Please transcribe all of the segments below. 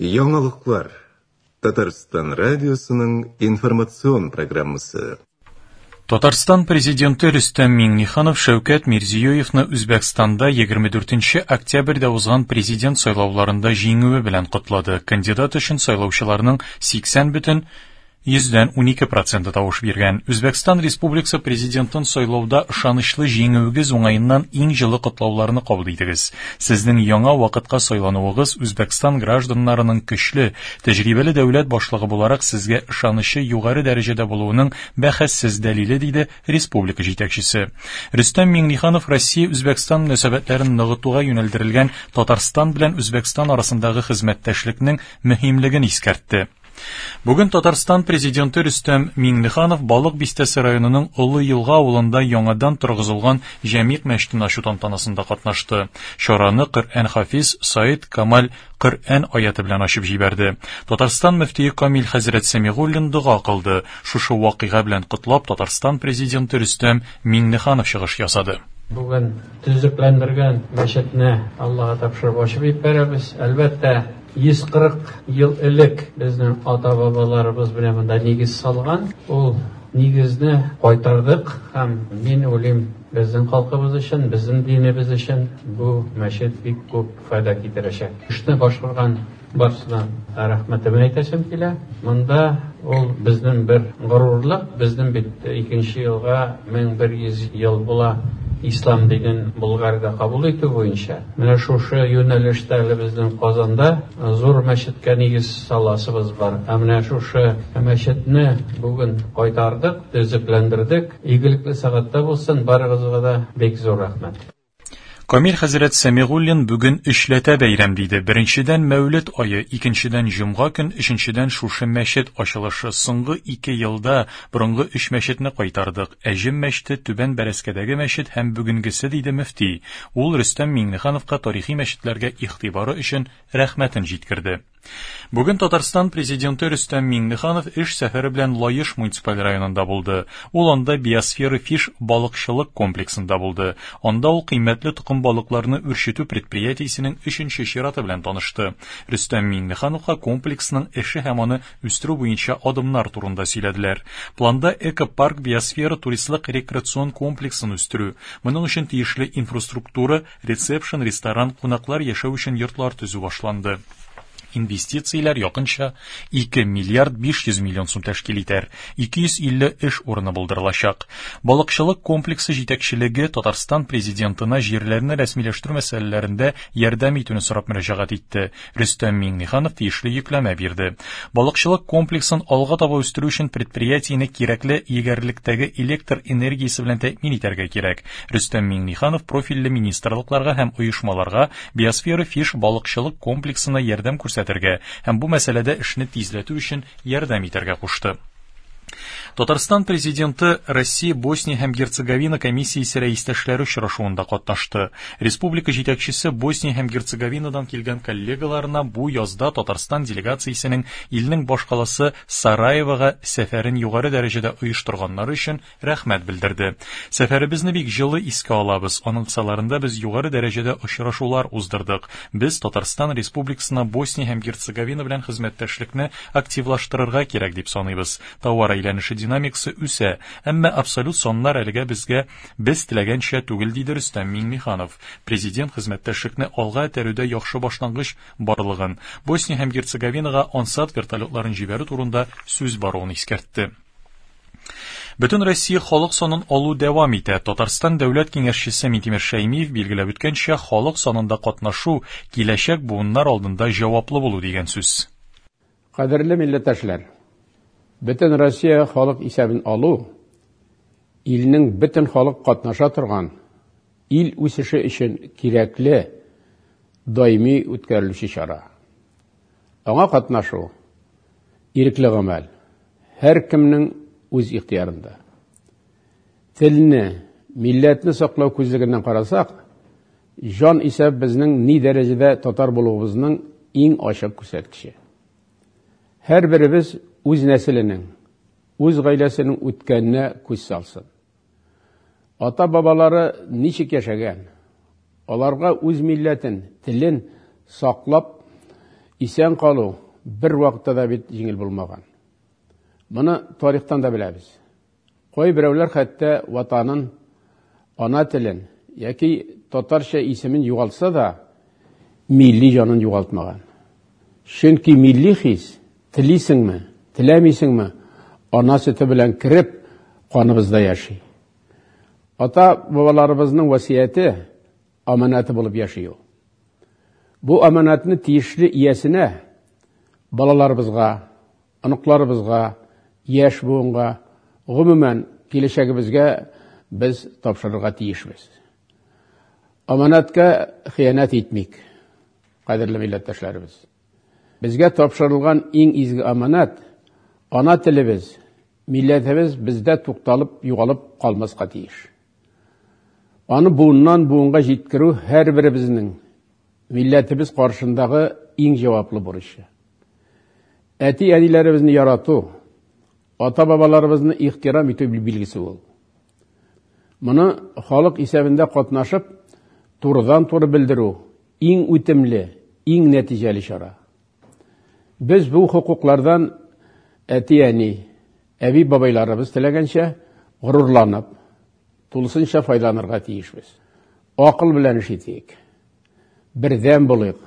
Яңалыклар. Татарстан радиосының информацион программасы. Татарстан Президенты Рөстәм Миңнеханов Шәүкәт Мирзиёевны Үзбәкстанда 24 октябрьдә узган президент сайлауларында җиңүе белән котлады. Кандидат өчен сайлаучыларның 80 бөтен 12% проценты тавыш биргән. Үзбәкстан Республикасы президентын сайлауда ышанычлы җиңүегез уңаеннан иң җылы котлауларны кабул итегез. Сезнең яңа вакытка сайлануыгыз Үзбәкстан гражданнарының көчле, тәҗрибәле дәүләт башлыгы буларак сезгә ышанычы югары дәрәҗәдә булуының бәхәссез дәлиле, диде республика җитәкчесе. Рөстәм Миңнеханов Россия-Үзбәкстан мөнәсәбәтләрен ныгытуга юнәлдерелгән Татарстан белән Үзбәкстан арасындагы хезмәттәшлекнең мөһимлеген искәртте. Бүген Татарстан Президенты Рөстәм Миңнеханов Балык Бистәсе районының Олы Елга авылында яңадан торгызылган Җәмигъ мәчетен ачу тантанасында катнашты. Чараны Коръән хафиз Саид Камаль Коръән аяты белән ачып җибәрде. Татарстан мөфтие Камил хәзрәт Сәмигуллин дога кылды. Шушы вакыйга белән котлап Татарстан Президенты Рөстәм Миңнеханов чыгыш ясады. Бүген төзекләндергән мәчетне Аллага тапшырып ачып җибәрәбез. Әлбәттә, 140 ел элек безнең ата-бабаларыбыз менә монда нигез салган. Ул нигезне кайтардык һәм мин уйлыйм, безнең халкыбыз өчен, безнең динебез өчен бу мәчет бик күп файда китерәчәк. Эшне башкарган барысына рәхмәтемне әйтәсем килә. Монда ул безнең бер горурлык, безнең бит икенче елга 1100 ел була ислам динен Болгарда кабул итү буенча. Менә шушы юнәлештә әле безнең Казанда зур мәчеткә нигез саласыбыз бар. Ә менә шушы мәчетне бүген кайтардык, төзекләндердек. Игелекле сәгатьтә булсын, барыгызга да бик зур рәхмәт. Камил хәзрәт Сәмигуллин бүген өчләтә бәйрәм диде. Беренчедән Мәүлет ае, икенчедән җомга көн, өченчедән шушы мәчет ачылышы. Соңгы 2 елда борынгы өч мәчетне кайтардык. Әҗем мәчете, Түбән Бәрәскәдәге мәчет һәм бүгенгесе, диде мөфти. Ул Рөстәм Миңнехановка тарихи мәчетләргә игътибары өчен рәхмәтен җиткерде. Бүген Татарстан Президенты Рөстәм Миңнеханов эш сәфәре белән Лаеш муниципаль районында булды. Ул анда Биосфера Фиш балыкчылык комплексында булды. Анда ул кыйммәтле токым балыкларны үрчетү предприятиесенең өченче чираты белән танышты. Рөстәм Миңнехановка комплексның эше һәм аны үстерү буенча адымнар турында сөйләделәр. Планда экопарк биосфера туристлык рекреацион комплексын үстерү. Моның өчен тиешле инфраструктура, ресепшн, ресторан, кунаклар яшәү өчен йортлар төзү башланды. Инвестицияләр якынча 2 миллиард 500 миллион сум тәшкил итәр, 250 эш урыны булдырылачак. Балыкчылык комплексы җитәкчелеге Татарстан Президентына җирләрне рәсмиләштерү мәсьәләләрендә ярдәм итүне сорап мөрәҗәгать итте. Рөстәм Миңнеханов тиешле йөкләмә бирде. Балыкчылык комплексын алга таба үстерү өчен предприятиене кирәкле егәрлектәге электр энергиясе белән тәэмин итәргә кирәк. Рөстәм Миңнеханов профильле министрлыкларга һәм оешмаларга Биосфера Фиш балыкчылык комплексына ярдәм күрсәтергә һәм бу мәсьәләдә эшне тизләтү өчен ярдәм итәргә кушты. Татарстан Президенты Россия, Босния һәм Герцеговина комиссиясе рәистәшләре очрашуында катнашты. Республика җитәкчесе Босния һәм Герцеговинадан килгән коллегаларына бу язда Татарстан делегациясенең илнең башкаласы Сараевога сәфәрен югары дәрәҗәдә оештырганнары өчен рәхмәт белдерде. Сәфәребезне бик җылы искә алабыз. Аның кысаларында без югары дәрәҗәдә очрашулар уздырдык. Без Татарстан Республикасына Босния һәм Герцеговина белән хезмәттәшлекне активлаштырырга кирәк дип саныйбыз. Тауар әйләнеше динамикасы үсә, әмма абсолют саннар әлегә безгә без теләгәнчә түгел, диде Рөстәм Миңнеханов. Президент хезмәттәшлекне алга этәрүдә яхшы башлангыч барлыгын, Босния һәм Герцеговинага Ансат вертолетларын җибәрү турында сүз баруын искәртте. Бөтен Россия халык санын алу дәвам итә. Татарстан дәүләт киңәшчесе Минтимер Шәймиев билгеләп үткәнчә, халык санында катнашу киләчәк буыннар алдында җаваплы булу дигән сүз. Кадерле милләттәшләр, Бөтен Россия халык исәбен алу илнең бөтен халык катнаша торган ил үсеше өчен кирәкле даими үткәрелүче чара. Аңа катнашу ирекле гамәл, һәркемнең үз ихтыярында. Телне, милләтне саклау күзлегеннән карасак, җан исәп безнең ни дәрәҗәдә татар булуыбызның иң ачык күрсәткече. Һәрберебез үз нәселенең, үз гаиләсенең үткәненә күз салсын. Ата-бабалары ничек яшәгән, аларга үз милләтен, телен саклап Исән калу бер вакытта да бит җиңел булмаган. Моны тарихтан да беләбез. Кайберәүләр хәтта ватанын, ана телен яки татарча исемен югалтса да, милли җанын югалтмаган. Чөнки милли хис, телисеңме, теләмисеңме, ана сөте белән кереп, каныбызда яши. Ата-бабаларыбызның васыяте, аманаты булып яши ул. Бу аманатны тиешле иясенә, балаларыбызга, оныкларыбызга, яшь буынга, гомумән, киләчәгебезгә без тапшырырга тиешбез. Аманатка хыянәт итмик, кадерле милләттәшләребез. Безгә тапшырылган иң изге аманат, ана телебез, милләтебез бездә тукталып, югалып калмаска тиеш. Аны буыннан буынга җиткерү һәрберебезнең милләтебез каршындагы иң җаваплы бурычы. Әти-әниләребезне ярату, ата-бабаларыбызны ихтирам итү билгесе ул. Моны халык исәбендә катнашып, турыдан-туры белдерү иң үтемле, иң нәтиҗәле чара. Без бу хокуклардан әти-әни, әби-бабайларыбыз теләгәнчә горурланып, тулысынча файдаланырга тиешбез. Акыл белән эш итик. Бердәм булыйк.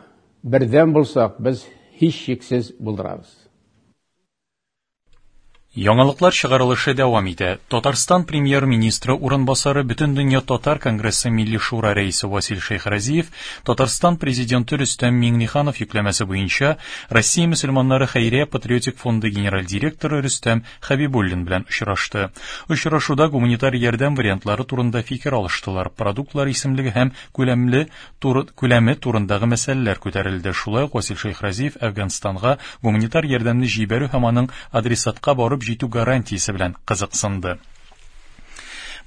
Бердәм булсак, без һичшиксез булдырабыз. Яңалыклар чыгарылышы дәвам итә. Татарстан премьер-министры урынбасары Бөтендөнья татар конгрессы Милли шура рәисе Васил Шәйхразиев Татарстан президенты Рөстәм Миңнеханов йөкләмәсе буенча Россия мөселманнары хәйрия патриотик фонды генераль директоры Рөстәм Хәбибуллин белән очрашты. Очрашуда гуманитар ярдәм вариантлары турында фикер алыштылар, продуктлар исемлеге һәм күләмле туры, күләме турындагы мәсьәләләр күтәрелде. Шулай ук Васил Шәйхразиев Әфганстанга гуманитар ярдәмне җибәрү һәм аның адресатка барып җитү гарантиясе белән кызыксынды.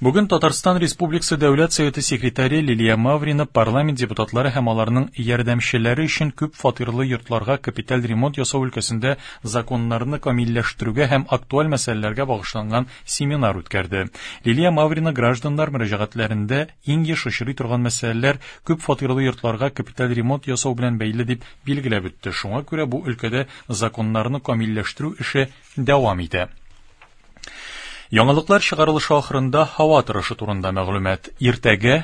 Бүген Татарстан Республикасы Дәүләт Советы секретаре Лилия Маврина парламент депутатлары һәм аларның ярдәмчеләре өчен күп фатирлы йортларга капиталь ремонт ясау өлкәсендә законнарны камилләштерүгә һәм актуаль мәсьәләләргә багышланган семинар үткәрде. Лилия Маврина гражданнар мөрәҗәгатьләрендә иң еш очрый торган мәсьәләләр күп фатирлы йортларга капиталь ремонт ясау белән бәйле дип билгеләп үтте. Шуңа күрә бу өлкәдә законнарны камилләштерү эше дәвам итә. Яңалыклар чыгарылышы ахырында һава торышы турында мәгълүмат. Иртәгә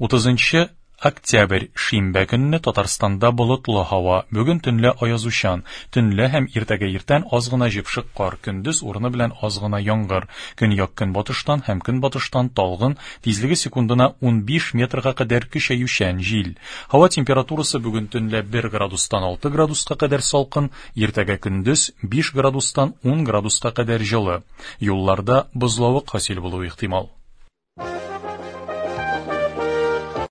30 октябрь шимбә көнне Татарстанда болытлы һава. Бүген төнлә аязучан. Төнлә һәм иртәгә иртән аз гына җепшек кар, көндез урыны белән аз гына яңгыр. Көньяк көнбатыштан һәм көнбатыштан талгын, тизлеге секундына 15 метрга кадәр көчәючән җил. Һава температурасы бүген төнлә 1 градустан 6 градуска кадәр салкын, иртәгә көндез 5 градустан 10 градуска кадәр җылы. Юлларда бозлавык хасил булуы ихтимал.